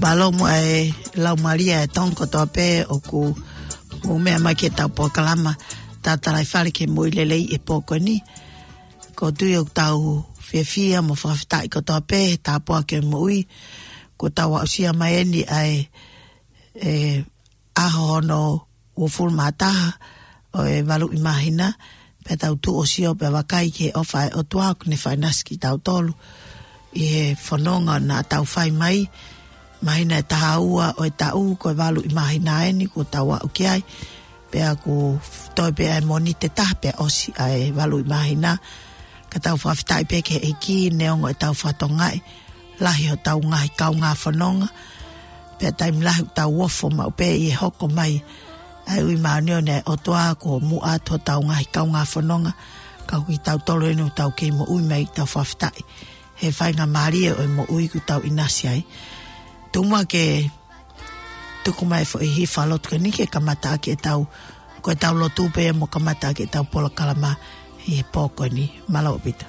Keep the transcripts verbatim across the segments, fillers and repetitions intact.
Mālō muʻa e Laumālie ʻa e Tonga kotoa pē ʻoku mou meʻa mai ki heʻetau polokalama Tatalaifale ki he Moʻui Lelei he pō ko eni. ʻOku ou tui ʻoku tau fiefia mo fakafetaʻi kotoa pē he tāpuaki ʻo e moʻui. Kuo tau aʻusia mai eni ʻa e, e ʻaho hono uofulu mā taha ʻo e valuʻi māhina, pea tau tuʻu ʻo sio pea vakai ki he ʻofa ʻa e ʻOtua kuo ne fai ʻinasi kitautolu ʻi he fononga naʻa tau fai mai, māhina ʻe taha ua ʻo e taʻu, ko e valuʻi māhina eni kuo tau aʻu ki ai, pea kuo toe pē ʻa e Mōnite ʻe taha pea ʻosi ʻa e valuʻi māhina. Ka tau fakafetaʻi pē ki he ʻEiki neongo ʻetau fatongia, lahi hotau ngaahi kaungā fononga, pea taimi lahi ʻoku tau ofo maʻu pē ʻi he hoko mai ʻa e ui māʻoniʻoni ʻa e ʻOtua kuo muʻa atu hotau ngaahi kaungā fononga, ka ko kitautolu eni ʻoku tau kei moʻui mai, tau fakafetaʻi he faingamālie ʻo e moʻui kuo tau ʻinasi ai. Tuku muʻa ke tuku mai e foʻi hifa lotu ko eni ke kamata ʻaki ʻetau, ko ʻetau lotu pea mo kamata ʻaki ʻetau polokalama ʻi he pō ko eni. Mālō ʻaupito.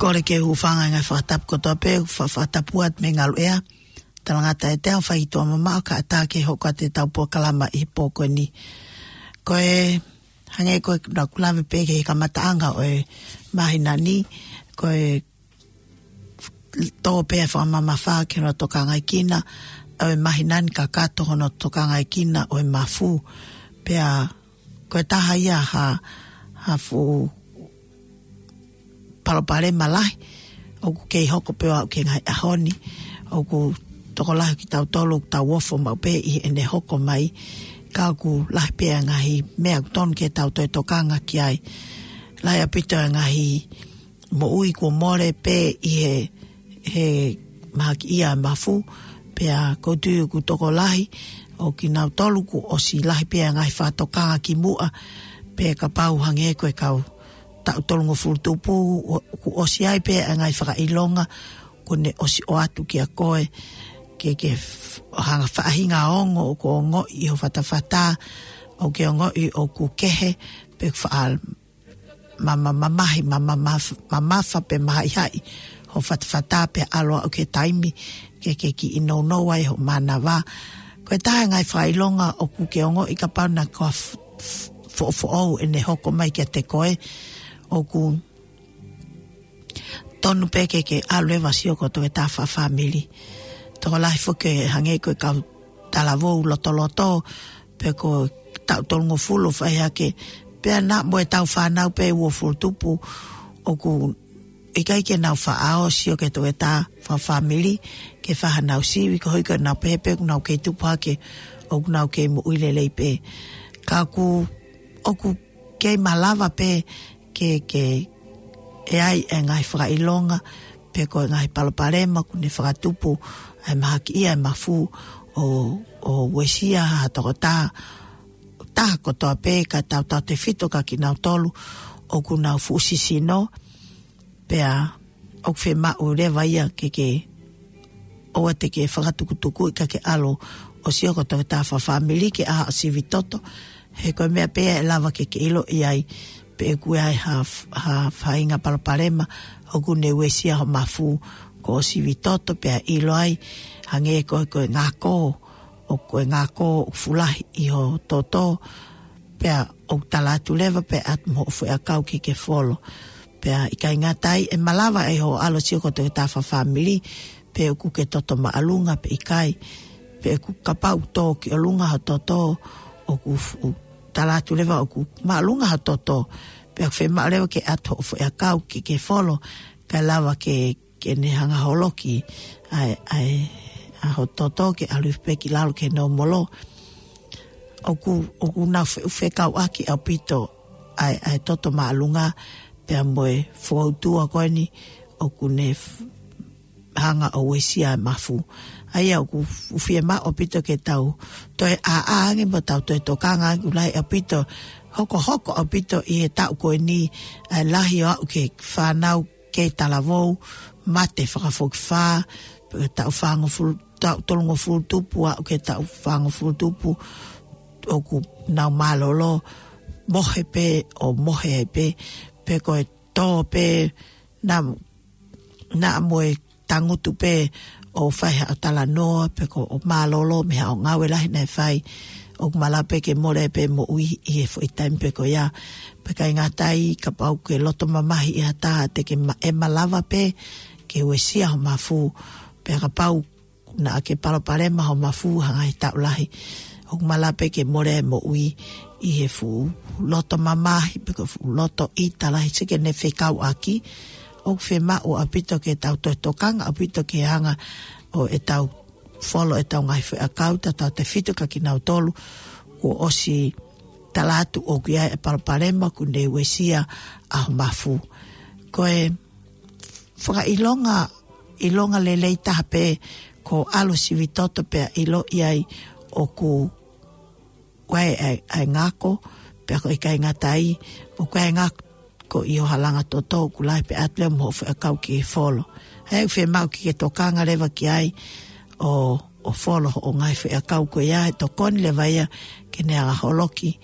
Kole ke u hūfanga he ngaahi fakatapu kotoa pē, fa-, fakatapu atu mei he ngaluʻea. Talangata ʻiate au, fai tuʻa mamaʻo kae ʻatā ke hoko atu ʻetau polokalama ʻi he pō ko eni. Ko e hangē ko ʻeku lave pē ki he kamataʻanga ʻo e māhina ni, ko e tō pē ʻa e fakamamafa ki hono tokangaekina ʻo e māhina ni kakato hono tokangaekina ʻo e mafu. Pea ko e taha ia ha, ha fuʻu palopalema lahi ʻoku kei hoko pē ʻo aʻu ki he ngaahi ʻaho ni. ʻOku tokolahi kitautolu ʻoku tau ofo maʻu pē ʻi heʻene hoko mai, ka ʻoku lahi pē ʻa e ngaahi meʻa ʻoku tonu ke tau toe tokanga ki ai. Lahi ʻaupito ʻa e ngaahi moʻui kuo mole pē ʻi he, he mahakiʻia ʻa e mafu, pea ʻoku ou tui ʻoku tokolahi ʻo kinautolu kuo ʻosi lahi pē ʻa e ngaahi fakatokanga ki muʻa, pe kapau hangē ko e kau taʻu tolungofulu tupu, ʻo, kuo ʻosi ʻi ai pē ʻa e ngaahi fakaʻilonga, kuo ne ʻosi ʻoatu kiate koe, ke, ke f-, hanga faʻahinga ongo, ʻoku ongoʻi ʻi ho fatafata, ʻoku ke ongoʻi ʻoku kehe, pe faʻa ma, ma, mamahi, ma, ma, ma, mamafa pe mahaʻihaʻi ho fatafata pe ʻalu ʻo aʻu ki he taimi ke, ke kiʻi nounou ai ho mānava. Ko e taha e ngaahi fakaʻilonga ʻoku ke ongoʻi kapau naʻa kuo f-, f-, foʻofoʻou ʻene hoko mai kiate koe, ʻoku tonu pē ke, ke ʻalu leva ʻo sio ki ho toketā fakafāmili. Tokolahi foki hangē ko e kau talavou lotoloto, pe ko e taʻu tolungofulu ʻo fai hake, pea naʻa mo e tau fānau pē uofulu tupu, ʻoku ʻikai ke nau faʻa ō ʻo sio ki he toketā fakafāmili, ke fai haʻanau sivi, koeʻuhi ko ʻenau pehē pē ʻoku nau kei tupu hake, ʻoku nau kei moʻui lelei pē. Ka ʻoku, ʻoku kei malava pē ke, ke ʻi ai e ngaahi fakaʻilonga, pe ko e ngaahi palopalema kuo ne fakatupu, ʻa e mahakiʻia e mafu ʻo, ʻo uesia ha toketā, taha kotoa pē, ka tautautefito kia kinautolu ʻoku nau fuʻu sisino, pea ʻoku fiemaʻu leva ia ke, ke ʻoua te ke fakatukutukuʻi ka ke ʻalu ʻo sio ki ho toketā fakafāmili ke ʻai haʻo sivi toto, he ko e meʻa pē ia ʻe lava ke ke ʻiloʻi ai pe ʻoku ʻi ai ha f-, ha faʻahinga palopalema ʻoku ne uesia ho mafu, ko hoʻo sivi toto pea ʻilo ai, hangē ko e, ko e ngako, ʻoku, ko e ngako ʻoku fuʻu lahi ʻi ho toto, pea ʻoku tala atu leva pea ʻatu mo hoʻo foʻiʻakau ke ke folo. Pea ʻikai ngata ai, ʻe malava ʻe hoʻo ʻalu ʻo sio ki ho toketā fakafāmili, pe ʻoku ke toto māʻolunga pe ʻikai, pe ʻoku kapau tō ki ʻolunga ho toto, ʻoku fuʻu tala atu leva ʻoku māʻolunga ho toto, pea ʻoku fiemaʻu leva ke ʻatu hoʻo foʻiʻakau ke ke folo, kae lava ke, ke ne hanga ʻo holoki ʻa e, ʻa e, ʻa ho toto ke ʻalu pē ki lalo ke nōmolo. ʻOku, ʻoku nau fe-, fekauʻaki ʻaupito ʻa e, ʻa e toto māʻolunga pea mo e foutua ko eni ʻoku ne f-, hanga ʻo uesia e mafu. ʻA ia ʻoku f-, fiemaʻu ʻaupito ke tau toe ʻā, ʻā ange mo tau toe tokanga ange, ʻoku lahi ʻaupito, hokohoko ʻaupito ʻi he taʻu ko eni ʻa e lahi ʻo aʻu ki he fānau kei talavou, mate fakafokifā, pe taʻu fāngofulu, taʻu tolungofulu tupu, aʻu ki he taʻu fāngofulu tupu, ʻoku nau mālōlō, mohe pē ʻo mohe ai pē, pe ko e tō pē, naʻa, naʻa mo e tangutu pē ʻo fai haʻo talanoa, pe ko hoʻo mālōlō mei haʻo ngāue lahi naʻe fai, ʻoku malava pē ke mole pē moʻui ʻi he foʻi taimi pē ko ia. Pea ʻikai ngata ai, kapau ʻoku ke loto mamahi ʻi ha taha, te ke ma-, ʻe malava pē ke uesia ho mafu, pea kapau naʻa ke palopalema ho mafu ha ngaahi taʻu lahi, ʻoku malava pē ke mole e moʻui ʻi he fuʻu loto mamahi, pe ko e fuʻu loto ʻita lahi, sio ki heʻene fekauʻaki. ʻOku fiemaʻu ʻaupito ke tau toe tokanga ʻaupito ki he anga ʻo ʻetau folo ʻetau ngaahi foʻiʻakau, tautautefito kia kinautolu kuo ʻosi tala atu ʻoku ʻi ai e palopalema kuo ne uesia ʻa ho mafu. Ko e fakaʻilonga, ʻilonga lelei taha pē ko e ʻalu ʻo sivi toto pea ʻiloʻi ai ʻoku ʻi ai ʻa e, ʻa e ngako, pea ʻoku ʻikai ngata ai, ʻoku ʻi ai e ngako ʻi ho halanga toto, ʻoku lahi pea ʻatu leva mo hoʻo foʻiʻakau ke folo. ʻA ia ʻoku fiemaʻu ke ke tokanga leva ki ai ʻo, ʻo folo hoʻo ngaahi foʻiʻakau ko ia, he tokoni leva ia ke ne hanga ʻo holoki,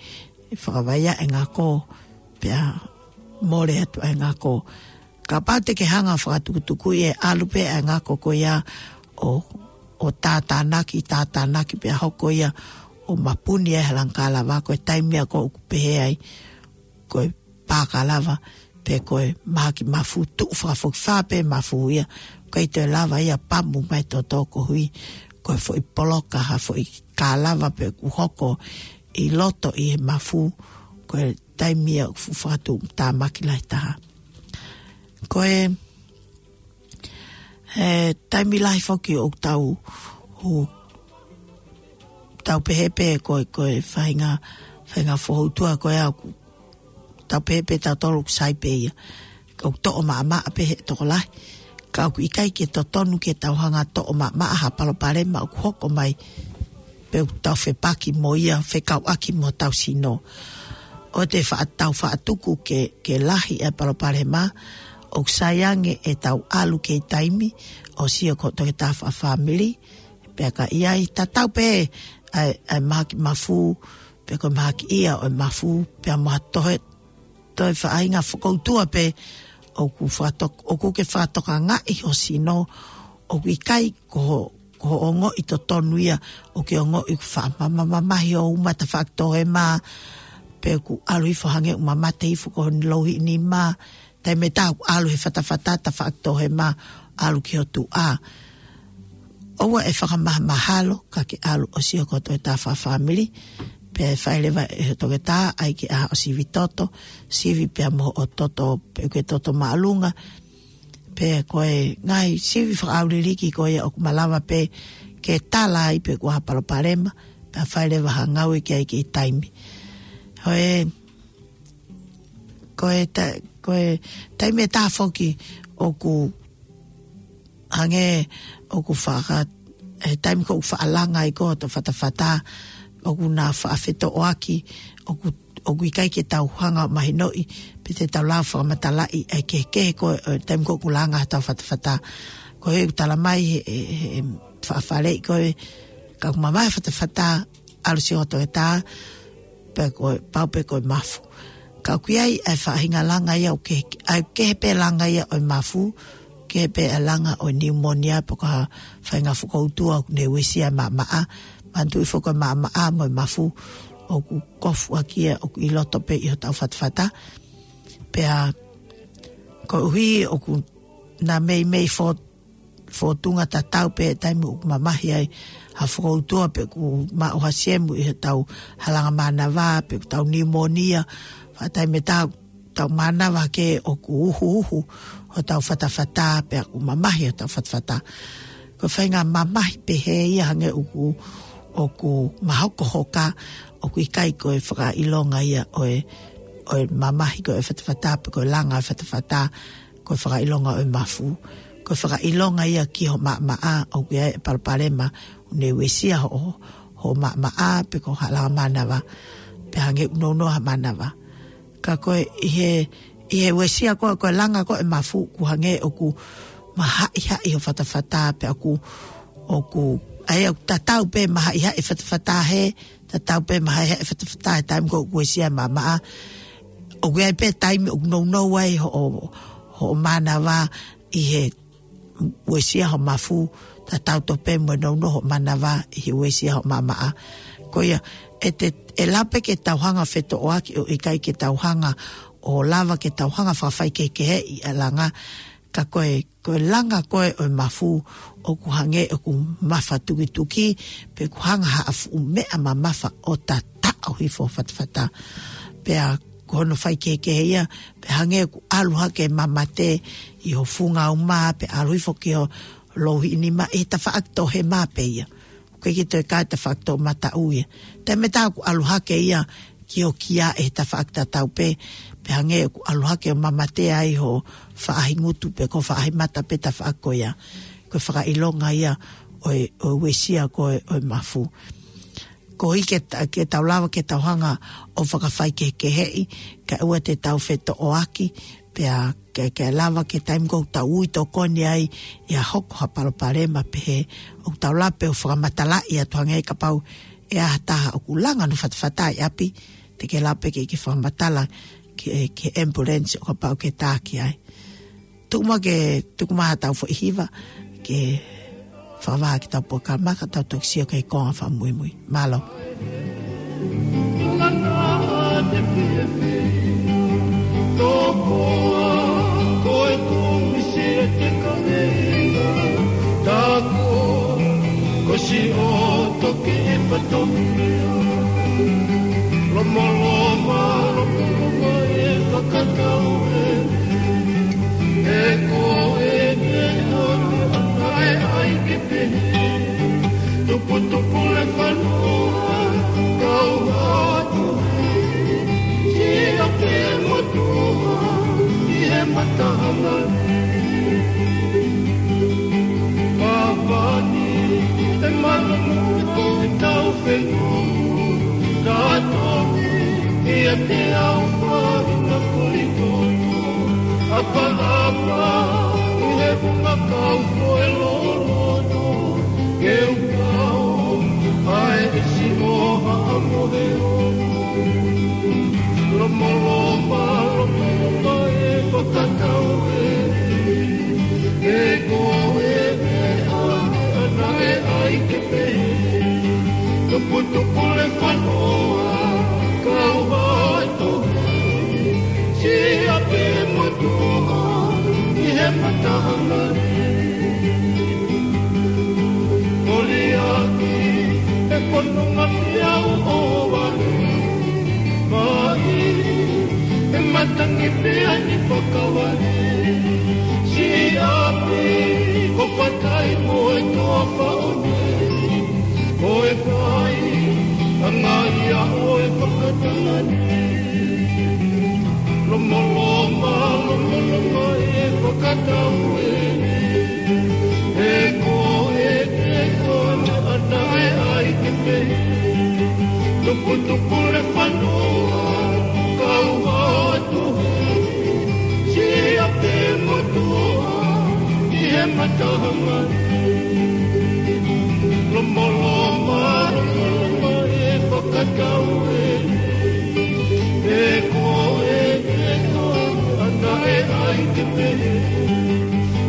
ʻe fakavaivai e ngako, pea mole atu ʻa e ngako. Kapau te ke hanga ʻo fakatukutukuʻi, ʻe ʻalu pē ʻa e ngako ko ia ʻo, ʻo tātānaki, tātānaki pea hoko ia ʻo mapuni e halanga kālava, ko e taimi ia ʻoku pehē ai ko e pā kālava, pe ko e mahaki mafu, tuʻu fakafokifā pē mafu ia, ʻikai toe lava ia ʻo pamu mai e toto koeʻuhi ko e foʻi poloka ha foʻi kālava pē ʻoku hoko ʻi loto ʻi he mafu, ko e taimi ia ʻoku fuʻu fakatuʻutāmaki lahi taha. Ko e, e taimi lahi foki ʻoku tau, ʻoku tau pehē pē ko e, ko e faʻahinga, faʻahinga foutua ko ia ʻoku tau pehē pē tautolu ʻoku sai pē ia. ʻOku toʻo maʻamaʻa pē he tokolahi. Ka ʻoku ʻikai ke totonu ke tau hanga ʻo toʻo maʻamaʻa ha palopalema ʻoku hoko mai. pe ʻoku tau fepaki mo ia, fekauʻaki mo hotau sino. ʻOua te faʻa tau faʻa tuku ke, ke lahi e palopalema, ʻoku sai ange ʻetau ʻalu ki he taimi, ʻo sio ki hoʻo toketā fakafāmili, pea ka ʻi ai tatau pē ʻa e, ʻa e mahaki mafu, pe ko e mahaki ia ʻo e mafu, pea mo ha toe, toe faʻahinga fakautua pē, ʻoku fakatok-, ʻoku ke fakatokangaʻi ho sino, ʻoku ʻikai ko ho, ko hoʻo ongoʻi totonu ia, ʻoku ke ongoʻi ʻoku faʻa mama-, mamahi hoʻo uma tafaʻaki tohema, pe ʻoku ʻalu hifo hangē ʻoku mamate hifo ko hono louhiʻi nima, taimi ʻe taha ʻoku ʻalu he fatafata tafaʻaki tohema, ʻalu ki ho tuʻa. ʻOua ʻe fakamahamahalo, ka ke ʻalu ʻo sio ki hoʻo toketā fakafāmili, pea ʻe fai leva ʻe hoʻo toketā, ʻai ke ʻā ʻo sivi toto, sivi pea mo hoʻo toto, pe ʻoku ke toto māʻolunga, pe ko e ngaahi sivi fakaʻauliliki ko ia ʻoku malava pē ke tala ai pe ʻoku ʻi ai ha palopalema, pea fai leva ha ngāue ki ai ki he taimi. Ko e, ko e ta-, ko e taimi ʻe taha foki ʻoku hangē ʻoku faka-, he taimi ko ē ʻoku faʻa langa ai ko ē hoto fatafata, ʻoku na faʻa fetoʻoaki, ʻoku, ʻoku ʻikai ke tau hanga ʻo mahinoʻi, pe te tau lava fakamatalaʻi ʻa e kehekehe ko ē, ʻo e taimi ko ē ʻoku langa hotau fatafata. Ko e ʻoku tala mai he, he, he faʻa faleʻi ko ē, ka ʻoku mamahi e fatafata, ʻalu sio ki hoʻo toketā, pe ko e, pau pē ko e mafu. Ka ʻoku ʻi ai ʻa e faʻahinga langa ia ʻoku kehe, ʻa e kehe pē langa ia ʻo e mafu, kehe pē ʻa e langa ʻo e niumonia pe ko ha faʻahinga fakautua ʻoku ne uesia e maʻamaʻa, manatuʻi foki ko e maʻamaʻa mo e mafu, ʻoku kofu ʻaki ia, ʻoku ʻi loto pē ʻi hotau fatafata. Pea, koeʻuhi ʻoku na meimei fo-, fōtunga tatau pē taimi ʻoku mamahi ai ha fakautua pe ʻoku maʻu ha siemu ʻi hotau halanga mānava, pe ʻoku tau niumonia, faʻa taimi ʻe taha ʻoku tau mānava hake ʻoku uhuuhu hotau fatafata, pea ʻoku mamahi hotau fatafata. Ko e faʻahinga mamahi pehē ia hangē ʻoku, ʻoku mahokohoka, ʻoku ʻikai ko e fakaʻilonga ia ʻo e, ʻo e mamahi ko ē ʻo e fatafata, pe ko e langa ʻo e fatafata, ko e fakaʻilonga ʻo e mafu. Ko e fakaʻilonga ia ki ho maʻamaʻa, ʻoku ʻi ai e palopalema, ʻoku ne uesia hoʻo, ho maʻamaʻa, pe ko e halanga mānava, pe hangē ʻoku nounou ha mānava. Ka ko e ʻi he, ʻi he uesia ko ē, ko e langa ko ē ʻo e mafu, ʻoku hangē ʻoku mahaʻihaʻi ho fatafata, pea ʻoku, ʻoku, ʻa ia ʻoku tatau pē mahaʻihaʻi e fatafata he, tatau pē mahaʻihaʻi e fatafata he taimi ko ē ʻoku uesia e maʻamaʻa. ʻOku ʻi ai pē taimi ʻoku nounou ai hoʻo, hoʻo mānava ʻi he uesia ho mafu, tatau tofu pē mo e nounou hoʻo mānava ʻi he uesia ho maʻamaʻa. Ko ia, ʻe te, ʻe lava pē ke tau hanga ʻo fetoʻoaki ʻo ʻikai ke tau hanga ʻo lava ke tau hanga ʻo fakafaikehekeheʻi ʻa e langa, ka ko e, ko e langa ko ē ʻo e mafu, ʻoku hangē ʻoku mafatukituki, pe ʻoku hanga ha fuʻu meʻa mamafa ʻo tataʻo hifo ho fatafata. Pea ko hono faikehekehe ia, pe hangē ʻoku ʻalu hake e mamate ʻi ho funga uma, pe ʻalu hifo ki ho louhiʻi nima, ʻi he tafaʻaki tohema pē ia. ʻOku ʻikai ke toe kau he tafaʻaki toʻomataʻu ia. Taimi ʻe taha ʻoku ʻalu hake ia ki ho kia ʻi he tafaʻaki tatau pē, pe hangē ʻoku ʻalu hake ʻo mamatea ai ho faʻahingutu pe ko e faʻahimata pe tafaʻaki ko ia. Ko e fakaʻilonga ia ʻo e, ʻo e uesia ko ē ʻo e mafu. Koeʻuhi ke ta-, ke tau lava ke tau hanga ʻo fakafaikehekeheʻi, kae ʻoua te tau fetoʻoaki, pea ke, ke lava ke taimi ko ē ʻoku tau ui tokoni ai ʻi ha hoko ha palopalema pehē, ʻoku tau lava pē ʻo fakamatalaʻi atu hangē kapau ʻe ʻi ai ha taha ʻoku langa hono fatafata ʻi ʻapi, te ke lava pē ke, ke fakamatala ki he, ki he ambulance ʻo kapau ʻoku ke taki ai. Tuku muʻa ke, tuku mai haʻatau foʻi hiva, ke fakavahaʻa ki heʻetau polokalama, ka tau toki sio ki he konga fakamuimui. Mālō. Tuputupu le fanua, kau atu. Siʻa ke motuʻa, ʻi he mataʻanga. Pāpani, e mana mo e koe Au fengu, ka toki, ʻiate au faʻahinga kolitoto. ʻApaʻapa, ʻi he funga kau ko e loloto. Ke u kau, ʻa e ʻesi ʻo haʻamo he ono. Lomoloma, lomoloma e fakatau e. He ko e meʻa, ʻana e ʻai ke pehē. Tuputupu le fanoa, kau ʻa e tohi. Siʻi ʻapi motuʻa, ʻi he matahanga ni. Koliaki, he fononga fiau ʻo vale. Mai, he matangi pea ni fakavale. Siʻi ʻapi, ko fatai mo e toa faʻone. Ko e fai, ʻanga ia ʻo e fakatanga ni. Lomoloma, lomoloma e fakatau e. He ko e te ko ʻana e ʻai ke pehē. Tuputupu le fanoa, kau atu he. Siʻi ʻapi motuʻa, ʻi he matahanga ni. Lomoloma, lomoloma e fakatau e. He ko e te ko ʻana e ʻai ke pehē.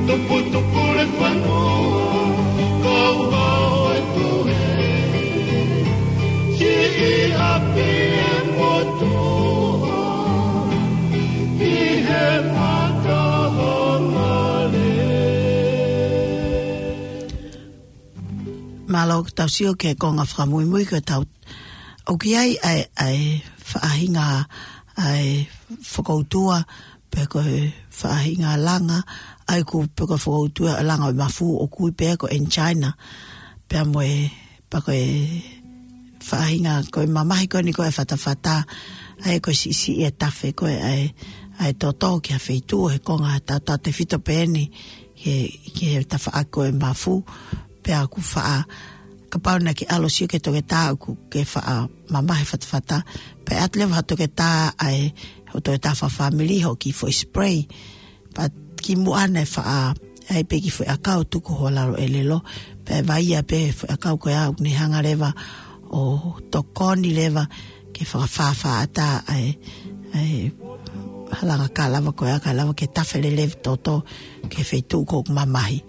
Tuputupu le fanoa, kau ʻa e tohi. Siʻi ʻapi motuʻa, ʻi he matahanga ni. Mālō ʻoku tau sio ki he konga fakamuimui ko e tau ʻoku ʻi ai ʻa e, ʻa e faʻahinga ʻa e fakautua, pe ko e faʻahinga langa, ʻa ia ʻoku pe ko e fakautua ʻa e langa ʻo e mafu ʻoku ui pē ko e angina. Pea mo e, pea ko e faʻahinga ko e mamahi ko eni ko e fatafata, ʻa ia ko e siʻisiʻi e tafe ko e ʻa e, ʻa e toto ki ha feituʻu he konga tautautefito pē eni, ki he, ki he tafaʻaki ko e mafu, pea ʻoku faʻa, kapau naʻa ke ʻalu ʻo sio ki he toketā ʻoku ke faʻa mamahi e fatafata, pea ʻoatu leva ha toketā ʻa e, ho toketā fakafāmili hoʻo kiʻi foʻi spray. Pea kimuʻa naʻe faʻa, ʻai pē kiʻi foʻi ʻakau tuku ho lalo ʻelelo, pea ʻe vaia pē foʻi ʻakau ko ia ʻoku ne hanga leva ʻo tokoni leva ke fakafāfāʻata ʻa e, ʻa e halanga kalava ko ia, kalava ke tafe lelei e toto ki he feituʻu ʻoku mamahi.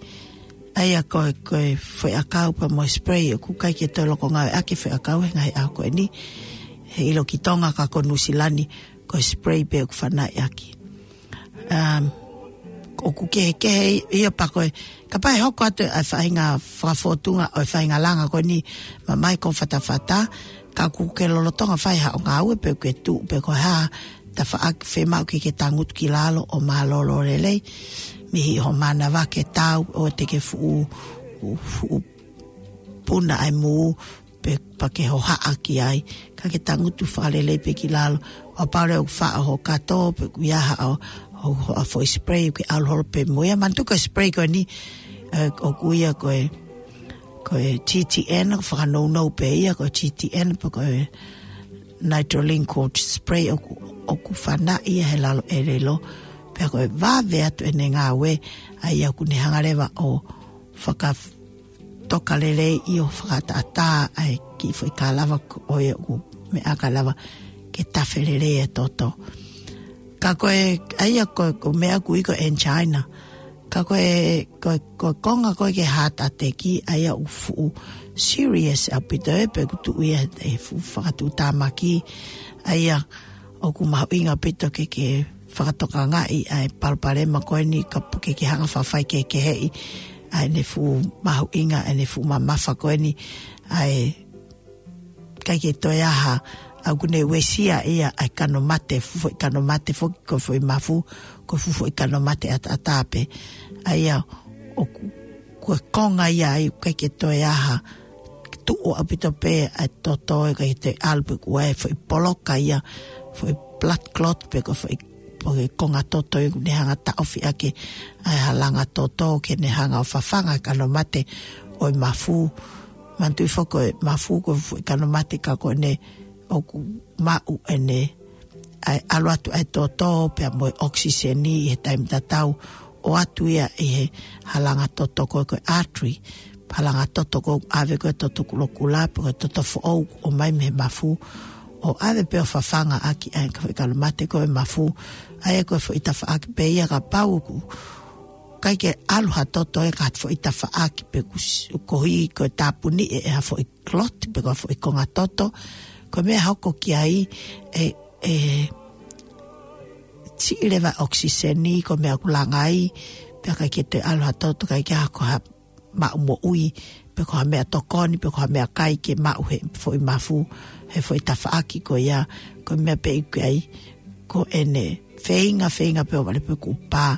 ʻA ia ko e, ko e foʻi ʻakau pea mo e spray ʻoku ʻikai ke toe loko ngāueʻaki e foʻi ʻakau he ngaahi ʻaho ko eni. He ʻilo ki Tonga ka ko Nuʻusila ni, ko e spray pē ʻoku fanaʻi ʻaki. Um, ʻoku kehekehe ia pea ko e, kapau ʻe hoko atu ʻa e faʻahinga fakafōtunga ʻo e faʻahinga langa ko eni mamahi ko e fatafata, ka ʻoku ke lolotonga fai haʻo ngāue pe ʻoku ke tuʻu pe ko e hā, tafaʻaki, fiemaʻu ke ke tangutu ki lalo ʻo mālōlō lelei, mei ho mānava ke tau ʻoua te ke fuʻu, fuʻu puna ʻa e mū, pe pea ke hohaʻa ki ai, ka ke tangutu fakalelei pē ki lalo, ʻo kapau leva ʻoku faʻo ho kato, pe ʻoku ʻi ai haʻo, ho, ho, ʻa e foʻi spray, ke ʻalu holo pē mo ia, manatuʻi ko e spray ko eni, ē, ʻoku ui ia ko e, ko e T T N, ʻoku fakanounou pē ia, ko e T T N, pe ko e nitrogen coat spray ʻoku, ʻoku fanaʻi ia he lalo ʻelelo, pea ko e vave atu ʻene ngāue, ʻa ia ʻoku ne hanga leva ʻo fakatoka lelei ʻi hoʻo fakaʻataʻatā ʻa e kiʻi foʻi kalava ko ia ʻoku meʻa kalava ke tafe lelei e toto. Ka ko e, ʻa ia ko, ko e meʻa ʻoku ui ko e angina. Ka ko e, ko e, ko e konga ko ē ki he heart attack, ʻa ia ʻoku fuʻu serious ʻaupito ē, pea ʻoku tuʻu ia he fuʻu fakatuʻutāmaki, ʻa ia ʻoku mahuʻinga ʻaupito ke, ke fakatokangaʻi ʻa e palopalema ko eni ka pu ke, ke hanga ʻo fakafaikehekeheʻi ʻa ʻene fuʻu mahuʻinga, ʻene fuʻu mamafa ko eni, ʻa e ʻikai ke toe ʻi ai ha, ʻa ʻoku ne uesia ia ʻa e kano mate, fuʻu foʻi kano mate foki ko e foʻi mafu, ko e fuʻu foʻi kano mate ʻataʻatā pē. ʻA ia ʻoku, ko e konga ia ʻa ia ʻikai ke toe ʻi ai ha tuʻu ʻaupito pē ʻa e toto ʻikai ke toe ʻalu pē ʻoku ʻi ai e foʻi poloka ia, foʻi blood clot pe ko e foʻi, pe ko e konga toto ʻoku ne hanga ʻo taʻofi ʻaki ʻa e halanga toto ke ne hanga ʻo fafanga e kano mate ʻo e mafu. Manatuʻi foki ko e mafu ko e foʻi kalo mate ka ko ʻene ʻoku maʻu ʻene ʻalu atu ʻa e toto pea mo e ʻokisiseni ʻi he taimi tatau ʻo ʻoatu ia ʻi he halanga toto ko e, ko e artery. Halanga toto ko e ʻave ko e toto kulokula pe ko e toto foʻou ʻo mai mei he mafu ʻo ʻave pē ʻo fafanga ʻaki ʻa e foʻi kalo mate ko e mafu. ʻA ia ko e foʻi tafaʻaki pē ia kapau ʻoku ʻikai ke ʻalu ha toto ʻe ka foʻi tafaʻaki pe kusi, koeʻuhi ko e tāpuni ʻe, ʻe ha foʻi clot pe ko ha foʻi konga toto. Ko e meʻa hoko ki ai ʻe, ʻe siʻi leva ʻokisiseni ko e meʻa ʻoku langa ai, pea ʻikai ke toe ʻalu ha toto, ʻikai ke ha ko ha maʻu moʻui, pe ko ha meʻatokoni, pe ko ha meʻakai ke maʻu he foʻi mafu, he foʻi tafaʻaki ko ia, ko e meʻa pē ʻoku ʻi ai, ko ʻene feinga, feinga pē ʻo vale pē kuo pā,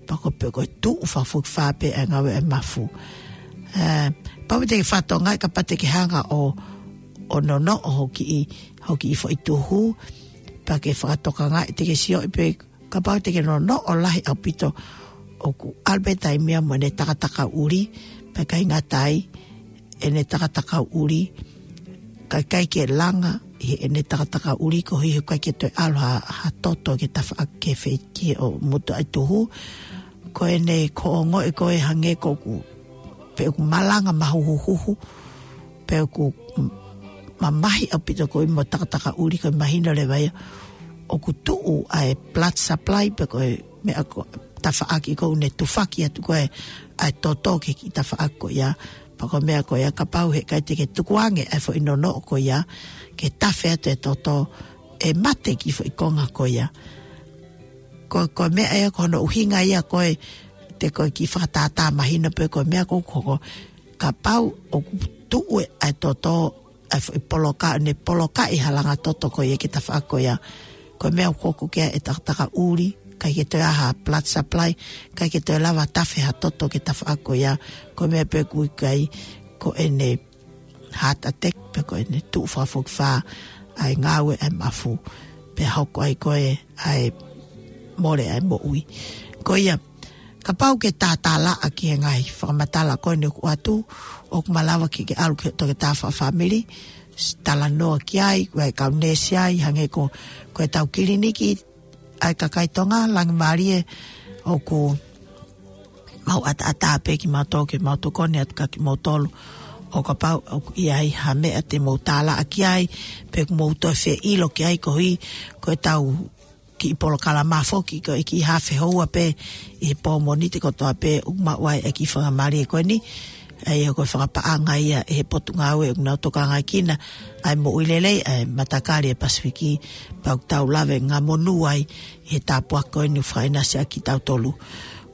pea ko e pē ko e tuʻu fakafokifā pē ʻa e ngāue ʻa e mafu. Ē, pau te ke fakatokangaʻi kapau te ke hanga ʻo, ʻo nonoʻo hoʻo kiʻi, hoʻo kiʻi foʻi tuhu, pea ke fakatokangaʻi te ke sio ʻi pē kapau te ke nonoʻo lahi ʻaupito ʻoku ʻalu pē taimi ia mo ʻene takatakaʻuli, pea ʻikai ngata ai ʻene takatakaʻuli, ka ʻikai ke langa ʻi heʻene takatakaʻuli koeʻuhi he ʻikai ke toe ʻalu ha, ha toto ke tafaʻaki ke feiki ʻo mutu ʻa e tuhu. Ko ʻene ko ongoʻi ko e hangē ko ʻoku, pe ʻoku malanga mahuhuhuhu, pe ʻoku mamahi ʻaupito koeʻuhi mo e takatakaʻuli ko e mahino leva ia ʻoku tuʻu ʻa e blood supply pe ko e meʻa ko e tafaʻaki ko ʻene tufaki atu ko e ʻa e toto ki he kiʻi tafaʻaki ko ia. Pea ko e meʻa ko ia kapau he ʻikai te ke tukuange ʻa e foʻi nonoʻo ko ia ke tafe atu e toto ʻe mate kiʻi foʻi konga ko ia. Ko, ko e meʻa ia ko hono ʻuhinga ia ko e te ko e kiʻi fakatātā mahino pē ko e meʻa ko ʻoku hoko. Kapau ʻoku tuʻu ʻa e toto ʻa e foʻi poloka, ʻene polokaʻi halanga toto ko ia ki he tafaʻaki ko ia. Ko e meʻa ʻoku hoko ki ai e takatakaʻuli, ʻikai ke toe ʻi ai ha blood supply, ʻikai ke toe lava tafe ha toto ki he tafaʻaki ko ia. Ko e meʻa pē ʻoku ʻikai ko ʻene heart attack pe ko ʻene tuʻu fakafokifā ʻa e ngāue ʻa e mafu. Pea hoko ai ko e ʻa e mole ʻa e moʻui. Ko ia, kapau ke tātālaʻa ki he ngaahi fakamatala ko eni ʻoku ʻoatu, ʻoku malava ke ke ʻalu ki he toketā fakafāmili, talanoa ki ai, ko e kau neesi ai, hangē ko, ko e tau kiliniki, ʻa e kakai Tonga, Langimālie, ʻoku mau ʻataʻatā pē kimautolu ke mau tokoni atu kia kimoutolu. ʻO kapau ʻoku ʻi ai ha meʻa te mou tālaʻa ki ai, pe ʻoku mou toe fie ʻilo ki ai koeʻuhi, ko e tau kiʻi polokalama foki ko e kiʻi hafe houa pē ʻi he pō Mōnite kotoa pē ʻoku maʻu ai e kiʻi faingamālie ko eni. ʻA ia ko e fakapaʻanga ia ʻe he Potungāue ʻoku nau tokangaʻi kinautolu ʻa e moʻui lelei ʻa e matakali ʻa e Pasifiki pea ʻoku tau lave ngaahi monū ai ʻi he tāpuaki ko eni ʻoku fakaʻinasi ʻaki kitautolu.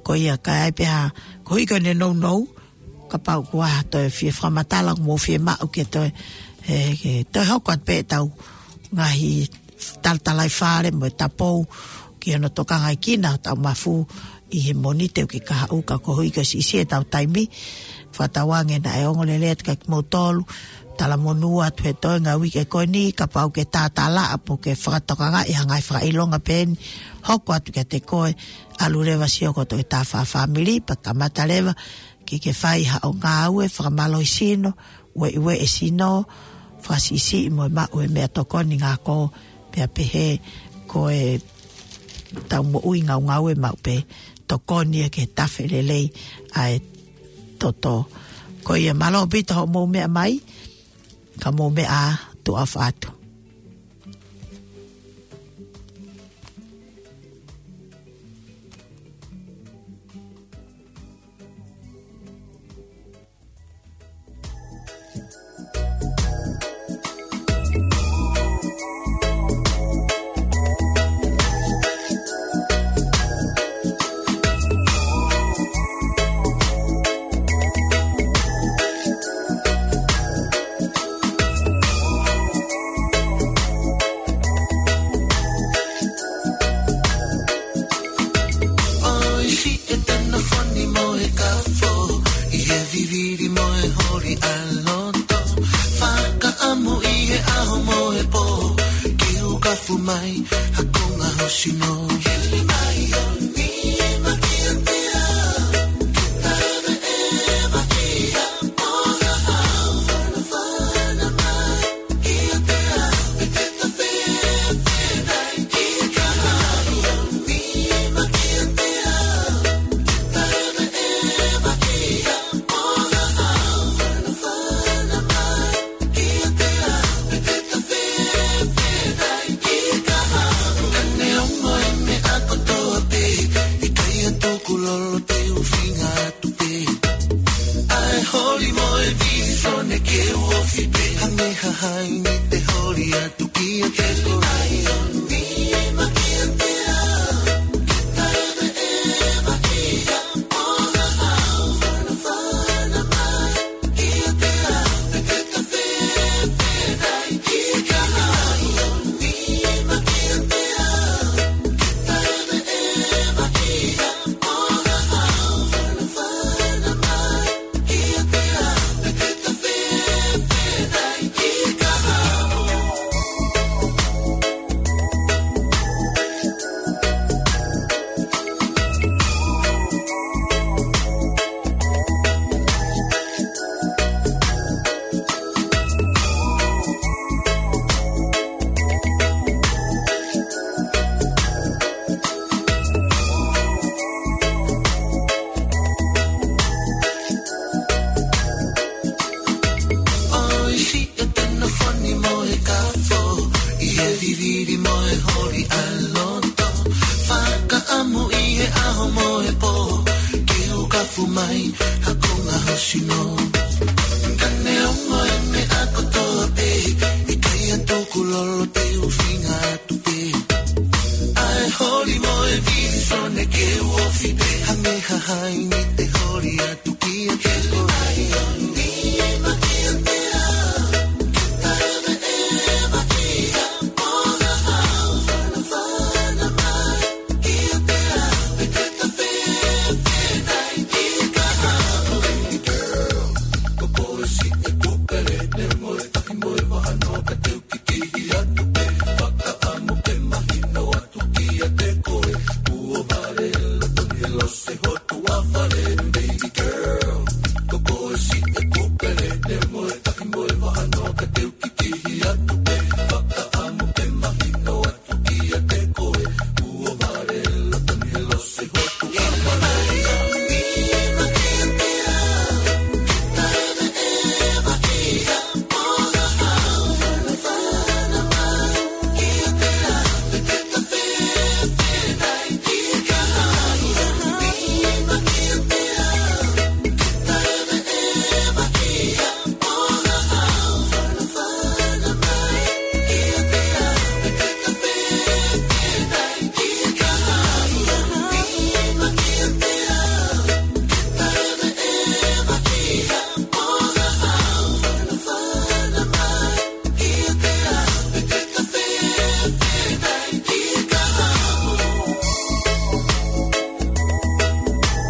Ko ia ka ʻi ai pē ha, koeʻuhi ko ʻene nounou, kapau ʻoku ʻi ai ha toe fie fakamatala ʻoku mou fie maʻu ke toe, ē, ke toe hoko atu pē ʻetau ngaahi talatalaifale mo e tapou ki hono tokangaʻi kinautolu ʻetau mafu ʻi he Mōnite ʻoku ke kahaʻu ka koeʻuhi ko e siʻisiʻi ʻetau taimi. Fakatauange naʻe ongo lelei atu kia kimoutolu, talamonū atu he toenga uike ko eni, kapau ke tātālaʻa pe ke fakatokangaʻi ha ngaahi fakaʻilonga pē eni, hoko atu kiate koe, ʻalu leva sio ki he toketā fakafāmili, pea kamata leva ke ke fai haʻo ngāue fakamālohisino, ueʻiueʻi e sino, fakasiʻisiʻi mo e maʻu e meʻatokoni ngāue, pea pehē ko e tau moʻui ngaungaue maʻu pē, tokoni ia ke tafe lelei ʻa e toto. Ko ia mālō ʻaupito hoʻomou meʻa mai, ka mou meʻa ā, tuʻa ʻofa atu. ʻOi, siʻi e tenofoni mo e kafo, ʻi he vivili mo e holi ʻa loto. Fakaʻamu ʻi he ʻaho mo e pō, ke u kafu mai ha konga hosino. Ka neongo e meʻa kotoa pē, ʻikai ha tukulolo, te u feinga atu pē. ʻA e holi mo e visone ke u ofi pē, ha meʻa ha haini te holi atu kiate koe.